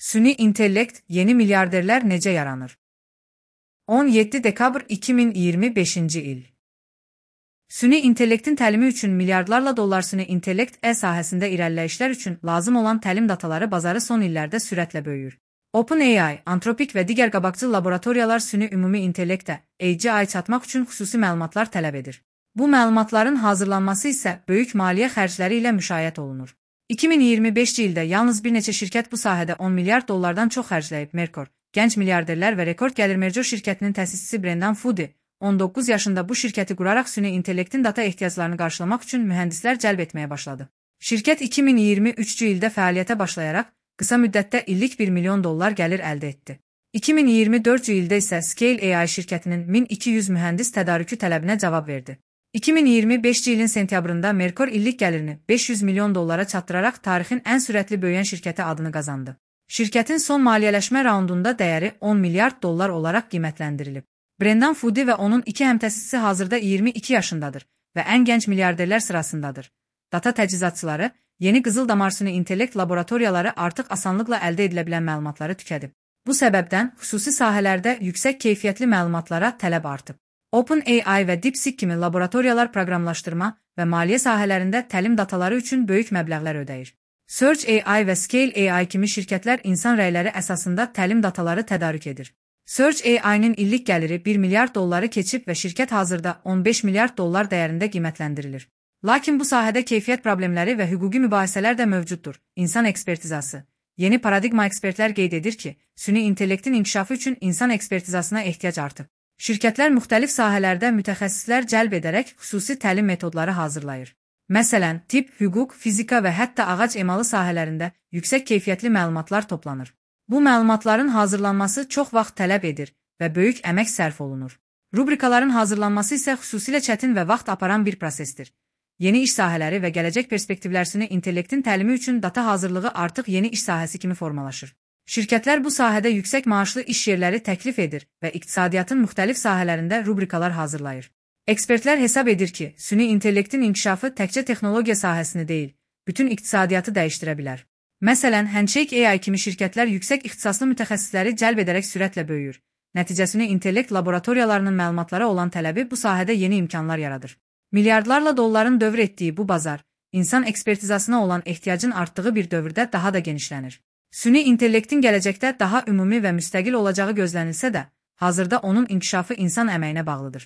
Süni intellekt, yeni milyarderlər necə yaranır? 17 dekabr 2025-ci il. Süni intellektin təlimi üçün milyardlarla dollar süni intellekt sahəsində irəliləyişlər üçün lazım olan təlim dataları bazarı son illərdə sürətlə böyüyür. OpenAI, Anthropic və digər qabaqcıl laboratoriyalar süni ümumi intellektə, AGI çatmaq üçün xüsusi məlumatlar tələb edir. Bu məlumatların hazırlanması isə böyük maliyyə xərcləri ilə müşayiət olunur. 2025-ci ildə yalnız bir neçə şirkət bu sahədə 10 milyard dollardan çox xərcləyib. Merkor, gənc milyarderlər və rekord gəlir Merger şirkətinin təsisçisi Brendan Fudi, 19 yaşında bu şirkəti quraraq süni intellektin data ehtiyaclarını qarşılamaq üçün mühəndislər cəlb etməyə başladı. Şirkət 2023-cü ildə fəaliyyətə başlayaraq, qısa müddətdə illik $1 milyon gəlir əldə etdi. 2024-cü ildə isə Scale AI şirkətinin 1200 mühəndis tədarükü tələbinə cavab verdi. 2025-ci ilin sentyabrında Merkor illik gəlirini $500 milyon çatdıraraq tarixin ən sürətli böyüyən şirkəti adını qazandı. Şirkətin son maliyyələşmə raundunda dəyəri $10 milyard olaraq qiymətləndirilib. Brendan Fudi və onun iki həmtəsisçisi hazırda 22 yaşındadır və ən gənc milyarderlər sırasındadır. Data təchizatçıları, yeni qızıl damar süni intellekt laboratoriyaları artıq asanlıqla əldə edilə bilən məlumatları tükədib. Bu səbəbdən xüsusi sahələrdə yüksək keyfiyyətli məlumatlara tələb artıb. OpenAI və DeepSeek kimi laboratoriyalar proqramlaşdırma və maliyyə sahələrində təlim dataları üçün böyük məbləğlər ödəyir. Search AI və Scale AI kimi şirkətlər insan rəyləri əsasında təlim dataları tədarük edir. Search AI-nin illik gəliri $1 milyard keçib və şirkət hazırda $15 milyard dəyərində qiymətləndirilir. Lakin bu sahədə keyfiyyət problemləri və hüquqi mübahisələr də mövcuddur. İnsan ekspertizası. Yeni paradigma ekspertlər qeyd edir ki, süni intellektin inkişafı üçün insan ekspertizasına ehtiyac artıb. Şirkətlər müxtəlif sahələrdə mütəxəssislər cəlb edərək xüsusi təlim metodları hazırlayır. Məsələn, tibb, hüquq, fizika və hətta ağac emalı sahələrində yüksək keyfiyyətli məlumatlar toplanır. Bu məlumatların hazırlanması çox vaxt tələb edir və böyük əmək sərf olunur. Rubrikaların hazırlanması isə xüsusilə çətin və vaxt aparan bir prosesdir. Yeni iş sahələri və gələcək perspektivlər süni intellektin təlimi üçün data hazırlığı artıq yeni iş sahəsi kimi formalaşır. Şirkətlər bu sahədə yüksək maaşlı iş yerləri təklif edir və iqtisadiyyatın müxtəlif sahələrində rubrikalar hazırlayır. Ekspertlər hesab edir ki, süni intellektin inkişafı təkcə texnologiya sahəsini deyil, bütün iqtisadiyyatı dəyişdirə bilər. Məsələn, Handshake AI kimi şirkətlər yüksək ixtisaslı mütəxəssisləri cəlb edərək sürətlə böyüyür. Nəticəsini intellekt laboratoriyalarının məlumatlara olan tələbi bu sahədə yeni imkanlar yaradır. Milyardlarla dolların dövr etdiyi bu bazar, insan ekspertizasına olan ehtiyacın artdığı bir dövrdə daha da genişlənir. Süni intellektin gələcəkdə daha ümumi və müstəqil olacağı gözlənilsə də, hazırda onun inkişafı insan əməyinə bağlıdır.